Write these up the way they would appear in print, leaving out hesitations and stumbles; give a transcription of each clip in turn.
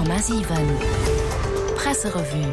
100,7 Presserevue.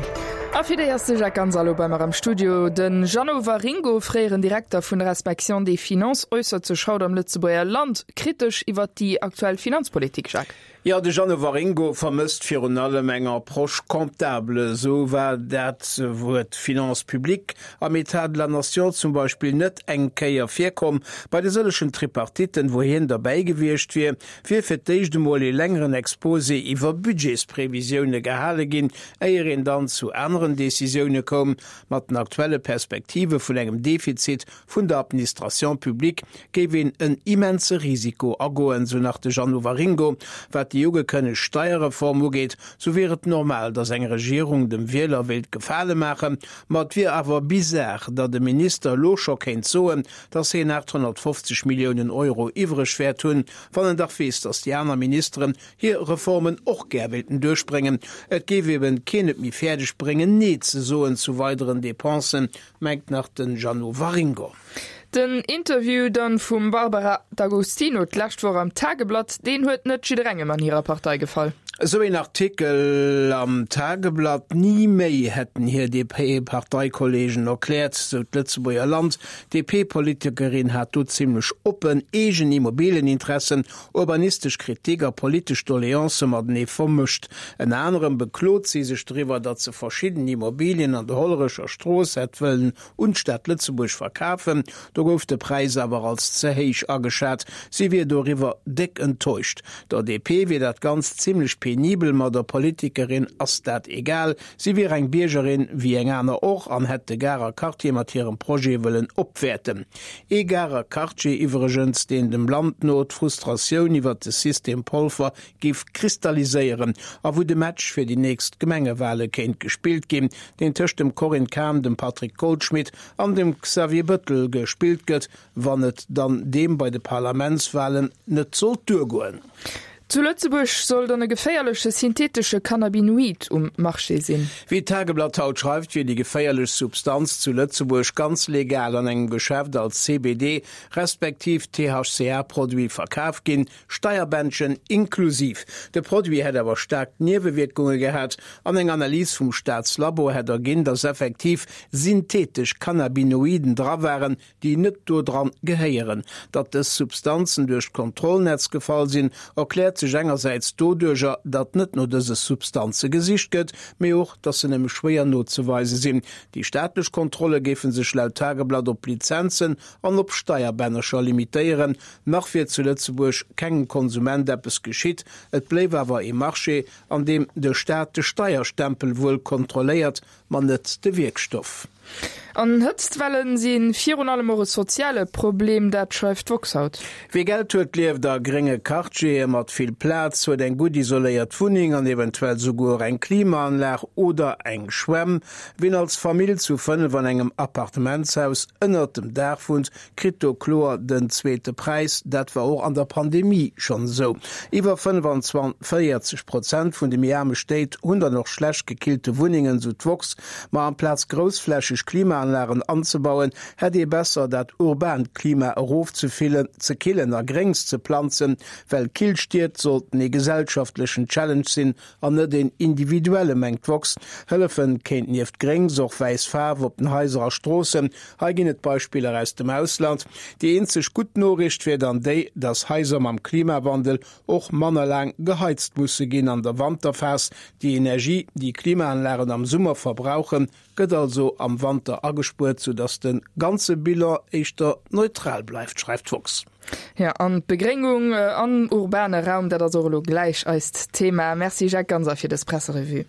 A fir déi ass de Jacques Ganser elo bei mer am Studio. De Jeannot Waringo, fréieren Direkter vun der Inspection des Finances, äussert sech haut am Lëtzebuerger Land kritesch iwwert déi aktuell Finanzpolitik. Jacques. Jo, de Jeannot Waringo vermësst virun allem eng Approche comptable. Esou war dat Wuert Finances publiques am État de la Nation zum Beispill net eng Kéier virkomm. Bei de sëllechen Tripartitten, wou hien derbäi gewiescht wier, wier fir d'éischt emol ee längeren Exposé iwwer Budgetsprevisioune gehale ginn, éier een dann zu aneren Decisioune koum. Mat den aktuelle Perspektive vun engem Defizit vun der Administration publique géif een en immense Risiko agoen, sou nach de Jeannot Waringo. Wat déi ugekënnegt Steierreform ugeet, sou wier et normal, datt eng Regierung dem Wieler wéilt Gefale maachen, ma et wier awer bizar, datt e Minister elo scho kéint soen, datt hien 850 Milliounen Euro iwwreg wäert hunn, wann en dach weess, datt déi aner Ministeren hir Reformen och gär wéilten duerchbréngen. Et géif eben keen et méi fäerdeg bréngen, Nee ze soen zu weideren Depensen, mengt nach den Jeannot Waringo. Den Interview dann vum Barbara D'Agostino d'lescht Woch am Tageblatt, deen huet net jidderengem an hirer Partei gefall. Esou een Artikel am Tageblatt, ni méi, hätten hir DP-Parteikollegen erkläert, sou d'Lëtzebuerger Land. D'DP-Politikerin hat do zimmlech oppen eegen Immobilieninteressen, urbanistesch Kritik a politesch Doleancë matenee vermëscht. Ënner anerem beklot si sech driwwer, datt se verschidden Immobilien an der Hollerecher Strooss hätt wëllen un d'Stad Lëtzebuerg verkafen. Do gouf de Präis awer als ze héich ageschat. Si wier doriwwer déck enttäuscht. Der DP wier dat Ganzt zimmlech penibel, ma der Politikerin ass dat egal. Si wier eng Biergerin wéi eng aner och an hätt de Garer Quartier mat hirem Projet wëllen opwäerten. Ee Garer Quartier iwwregens, deen dem Land no d'Frustratioun iwwert de System Polfer géif kristalliséieren a wou de Match fir déi nächst Gemengewale kéint gespillt ginn, deen tëscht dem Corinne Cahen, dem Patrick Goldschmidt an dem Xavier Bëttel gespillt gëtt, wann et dann deem bei de Parlamentswalen net sollt duergoen. Zu Lëtzebuerg soll dann e geféierleche synthetesche Cannabinoid um Marché sinn. Wéi d'Tageblatt haut schreift, wier déi geféierlech Substanz zu Lëtzebuerg ganz legal an engem Geschäft als CBD respektiv THCA-Produit verkaf ginn, Steierbändchen inklusiv. De Produit hätt awer staark Niewewierkunge gehat an eng Analys vum Staatslabo hätt erginn, datt effektiv synthetesch Cannabinoiden dra waren, déi net do dran gehéieren. Datt dës Substanzen duerch d'Kontrollnetz gefall sinn, erkläert sech engersäits doduercher, datt net no dëse Substanze gesicht gëtt, mee och, datt se nëmme schwéier nozeweise sinn. Déi staatlech Kontrolle géife sech laut Tageblatt op Lizenzen an op Steierbännercher limitéieren. Nach wier zu Lëtzebuerg kengem Konsument eppes geschitt, et bléif awer ee Marché, an deem de Staat de Steierstempel wuel kontrolléiert, ma net de Wierkstoff. An Hëtztwellen si virun allem och e soziale Problem, dat schreift d'woxx haut. Wie Geld huet, lieft a grénge Quartiere mat vill Plaz, huet eng gutt isoléiert Wunneng an eventuell souguer eng Klimaanlag oder eng Schwämm. Wien als Famill zu 5 an engem Appartementshaus ënnert dem Daach wunnt, kritt do kloer den zweete Präis. Dat war och an der Pandemie schonn esou. Iwwer 45 Prozent vun de méi aarme Stéit hunn dann och schlecht gekillte Wunnengen, sou d'woxx. Ma amplaz groussflächeg Klimaanlagen anzebauen, hätt ee besser dat urbaant Klima erofzefillen, ze killen a Gréngs ze planzen, well kill Stied sollten ee gesellschaftlechen Challenge sinn An net een individuelle, mengt d'woxx. Hëllefen kéint nieft Gréngs och wäiss Faarf op den Haiser a Stroossen. Hei ginn et Beispiller aus dem Ausland. Déi eenzeg gutt Noriicht wier dann déi, datt Haiser mam Klimawandel och manner laang geheizt musse ginn an der Wanterphas. Déi Energie, déi Klimaanlagen am Summer verbrauchen, Gëtt also am Wanter agespuert, sou dass de ganze Bilan éischter neutral bleift, schreift d'woxx. Jo, an d'Begréngung am urbane Raum, dat ass och elo gläich eist Thema. Merci Jacques Ganser fir dës Presserevue.